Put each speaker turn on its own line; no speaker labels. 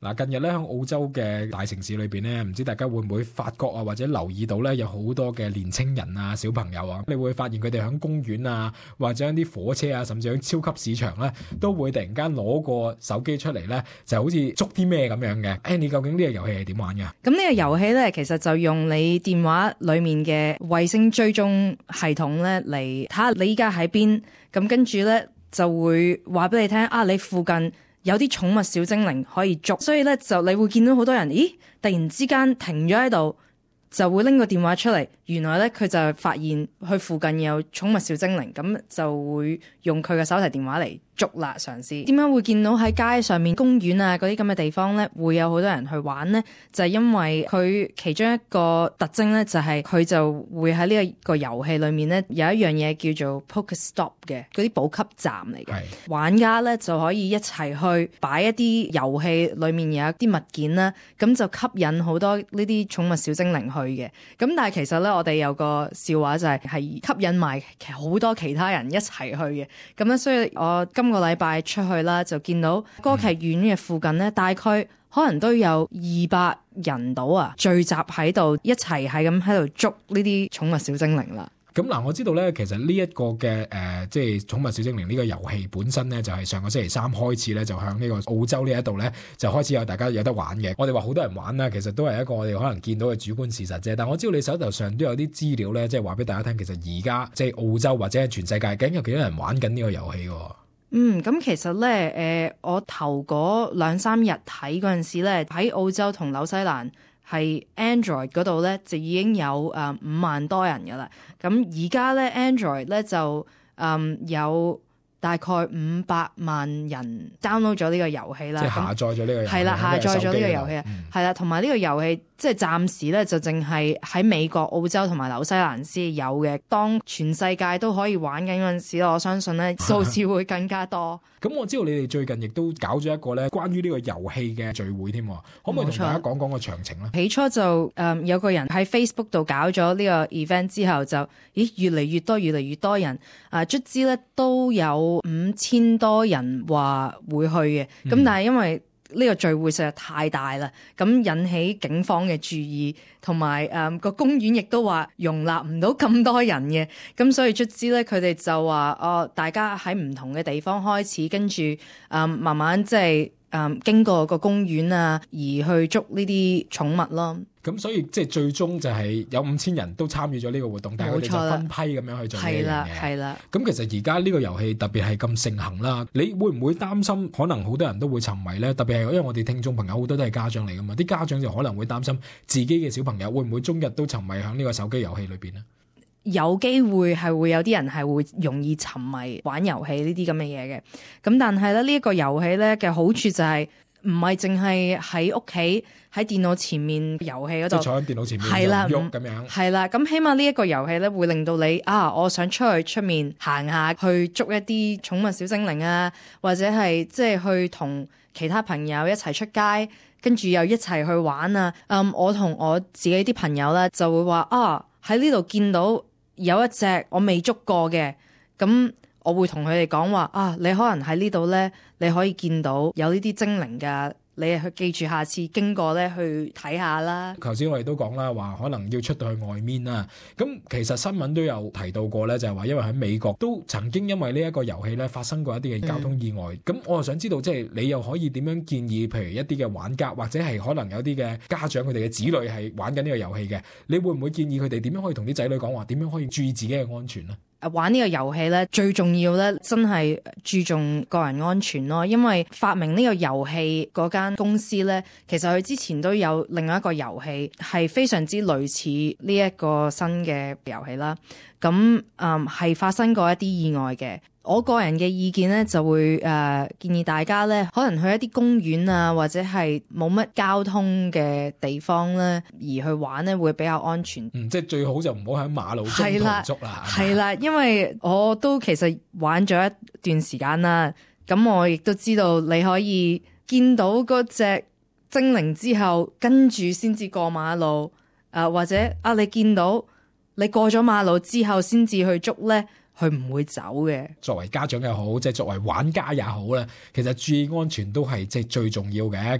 嗱，近日咧喺澳洲嘅大城市裏邊咧，唔知大家會唔會發覺啊，或者留意到咧，有好多嘅年青人啊、小朋友啊，你會發現佢哋喺公園啊，或者喺啲火車啊，甚至喺超級市場咧，都會突然間攞個手機出嚟咧，就好似捉啲咩咁樣嘅。你究竟呢個遊戲係點玩嘅？
咁呢個遊戲咧，其實就用你電話裏面嘅衛星追蹤系統咧嚟睇下你依家喺邊，咁跟住咧就會話俾你聽啊，你附近有啲寵物小精靈可以捉，所以咧就你會見到好多人，咦，突然之間停咗喺度，就會拎個電話出嚟，原來咧佢就發現佢附近有寵物小精靈，咁就會用佢嘅手提電話嚟捉啦，嘗試。點解會見到喺街上面、公園啊嗰啲咁嘅地方咧，會有好多人去玩呢？就係因為佢其中一個特徵咧，就係佢就會喺呢個遊戲裏面咧有一樣嘢叫做 Pokestop 嘅嗰啲補給站嚟嘅。玩家咧就可以一齊去擺一啲遊戲裏面有一啲物件啦，咁就吸引好多呢啲寵物小精靈去嘅。咁但係其實咧，我哋有個笑話就係吸引埋好多其他人一齊去嘅。咁咧，所以我今個禮拜出去啦，就見到歌劇院嘅附近咧，大概可能都有200人到啊，聚集喺度一齊係咁喺度捉呢啲寵物小精靈啦。
咁嗱，我知道咧，其實呢一個嘅即係寵物小精靈呢個遊戲本身咧，就係上個星期三開始咧，就向呢個澳洲呢一度咧，就開始有大家有得玩嘅。我哋話好多人玩啦，其實都係一個我哋可能見到嘅主觀事實啫。但我知道你手頭上都有啲資料咧，即係話俾大家聽，其實而家即係澳洲或者係全世界，究竟有幾多人玩緊呢個遊戲喎？
咁其實咧，我頭嗰2-3日睇嗰陣時咧，喺澳洲同紐西蘭係 Android 嗰度咧，就已經有5萬多人噶啦。咁而家咧 Android 咧就有大概500萬人 download 咗呢個遊戲啦，
即係下載咗呢個遊戲。
係啦，下載咗呢個遊戲，係啦，同埋呢個遊戲即係暫時咧就淨係喺美國、澳洲同埋紐西蘭先有嘅。當全世界都可以玩緊嗰陣時，我相信咧數字會更加多。
咁我知道你哋最近亦都搞咗一個咧關於呢個遊戲嘅聚會添，可唔可以同大家講講個詳情咧？
起初就有個人喺 Facebook 度搞咗呢個 event 之後就越嚟越多人卒之咧都有5000多人話會去嘅。咁但係因為呢個聚會實在太大啦，咁引起警方嘅注意，同埋個公園亦都話容納唔到咁多人嘅，咁所以卒之咧佢哋就話大家喺唔同嘅地方開始，跟住慢慢即係經過個公園啊，而去捉呢啲寵物咯。
咁所以即係最終就係有5000人都參與咗呢個活動，但係佢哋就分批咁樣去做呢樣嘢。
係啦。
咁其實而家呢個遊戲特別係咁盛行啦，你會唔會擔心可能好多人都會沉迷咧？特別係因為我哋聽眾朋友好多都係家長嚟噶嘛，啲家長就可能會擔心自己嘅小朋友會唔會終日都沉迷喺呢個手機遊戲裏邊呢？
有機會係會有啲人係會容易沉迷玩遊戲呢啲咁嘅嘢嘅。咁但係咧呢一個遊戲咧嘅好處就係唔係淨係喺屋企喺電腦前面遊戲嗰度，
即係坐喺電腦前面喐咁樣。
係啦，咁起碼呢一個遊戲咧會令到你我想出去出面行下，去捉一啲寵物小精靈啊，或者係即係去同其他朋友一齊出街，跟住又一齊去玩啊。我同我自己啲朋友咧就會話喺呢度見到有一隻我未捉過嘅，咁我會同佢哋講話你可能喺呢度咧，你可以見到有呢啲精靈㗎，你去記住下次經過咧去睇下啦。
頭先我哋都講啦，話可能要出到去外面啦。咁其實新聞都有提到過咧，就係話因為喺美國都曾經因為呢一個遊戲咧發生過一啲嘅交通意外。咁我又想知道，即係你又可以點樣建議，譬如一啲嘅玩家或者係可能有啲嘅家長佢哋嘅子女係玩緊呢個遊戲嘅，你會唔會建議佢哋點樣可以同啲仔女講話，點樣可以注意自己嘅安全呢？
玩呢個遊戲咧，最重要咧，真係注重個人安全咯。因為發明呢個遊戲嗰間公司咧，其實佢之前都有另外一個遊戲係非常之類似呢一個新嘅遊戲啦。咁係發生過一啲意外嘅。我個人嘅意見咧就會建議大家咧，可能去一啲公園啊，或者係冇乜交通嘅地方咧，而去玩咧會比較安全。
即係最好就唔好喺馬路中途捉啦。
係啦，因為我都其實玩咗一段時間啦，咁我亦都知道你可以見到嗰隻精靈之後，跟住先至過馬路，或者你見到你過咗馬路之後先至去捉咧。佢唔會走嘅。作為家長又好，即係作為玩家也好咧，其實注意安全都係即係最重要嘅。